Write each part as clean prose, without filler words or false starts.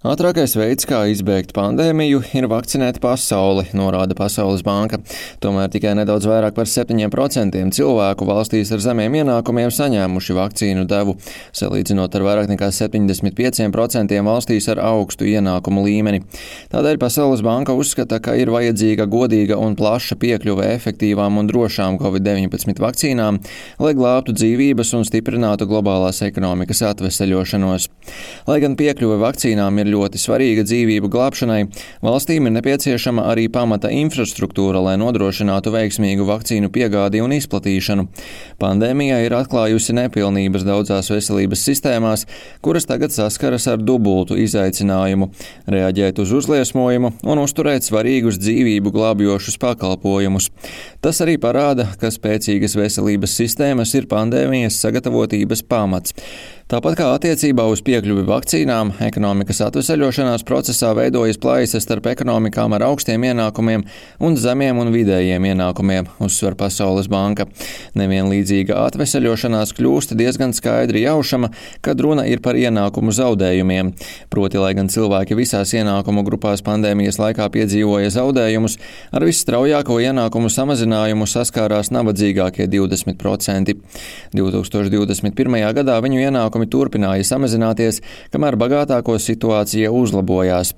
Ātrākais veids, kā izbēgt pandēmiju, ir vakcinēt pasauli, norāda Pasaules banka. Tomēr tikai nedaudz vairāk par 7% cilvēku valstīs ar zemiem ienākumiem saņēmuši vakcīnu devu, salīdzinot ar vairāk nekā 75% valstīs ar augstu ienākumu līmeni. Tādēļ Pasaules banka uzskata, ka ir vajadzīga godīga un plaša piekļuve efektīvām un drošām COVID-19 vakcīnām, lai glābtu dzīvības un stiprinātu globālās ekonomikas atveseļošanos. Lai gan piekļuve vakcīnām ir ļoti svarīga dzīvību glābšanai, valstīm ir nepieciešama arī pamata infrastruktūra, lai nodrošinātu veiksmīgu vakcīnu piegādi un izplatīšanu. Pandēmija ir atklājusi nepilnības daudzās veselības sistēmās, kuras tagad saskaras ar dubultu izaicinājumu – reaģēt uz uzliesmojumu un uzturēt svarīgus dzīvību glābjošus pakalpojumus. Tas arī parāda, ka spēcīgas veselības sistēmas ir pandēmijas sagatavotības pamats. Tāpat kā attiecībā uz piekļuvi vakcīnām, ekonomikas atveseļošanās procesā veidojas plaisas starp ekonomikām ar augstiem ienākumiem un zemiem un vidējiem ienākumiem, uzsver Pasaules banka. Nevienlīdzīga atveseļošanās kļūst diezgan skaidri jaušama, kad runa ir par ienākumu zaudējumiem. Proti, lai gan cilvēki visās ienākumu grupās pandēmijas laikā piedzīvoja zaudējumus, ar visstraujāko ienākumu samazinājumu saskārās nabadzīgākie 20%. 2021. gadā viņu ienākumi turpināja samazināties, kamēr bagātāko situācija uzlabojās.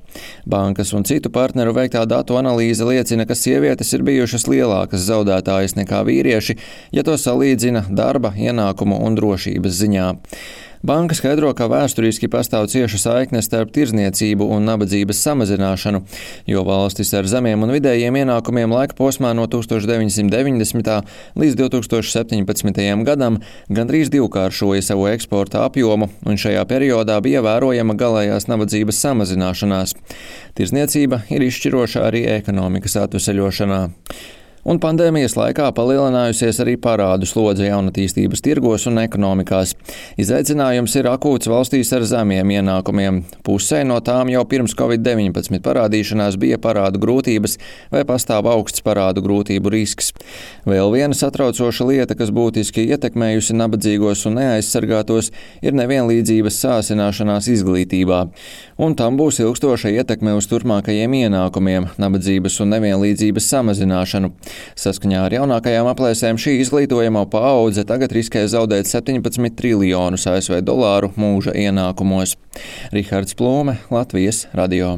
Bankas un citu partneru veiktā datu analīze liecina, ka sievietes ir bijušas lielākas zaudētājas nekā vīrieši, ja to salīdzina darba, ienākumu un drošības ziņā. Banka skaidro, ka vēsturiski pastāv cieša saikne starp tirdzniecību un nabadzības samazināšanu, jo valstis ar zemiem un vidējiem ienākumiem laika posmā no 1990. līdz 2017. gadam gandrīz divkāršoja savu eksporta apjomu, un šajā periodā bija vērojama galējās nabadzības samazināšanās. Tirdzniecība ir izšķiroša arī ekonomikas atveseļošanā. Un pandēmijas laikā palielinājusies arī parādu slodze jaunatīstības tirgos un ekonomikās. Izaicinājums ir akūts valstīs ar zemiem ienākumiem. Pusē no tām jau pirms COVID-19 parādīšanās bija parādu grūtības vai pastāv augsts parādu grūtību risks. Vēl viena satraucoša lieta, kas būtiski ietekmējusi nabadzīgos un neaizsargātos, ir nevienlīdzības sāsināšanās izglītībā. Un tam būs ilgstoša ietekme uz turpmākajiem ienākumiem, nabadzības un nevienlīdzības samazināšanu. Saskaņā ar jaunākajām aplēsēm šī izglītojamo paudze tagad riskē zaudēt 17 triljonus ASV dolāru mūža ienākumos. Rihards Plūme, Latvijas radio.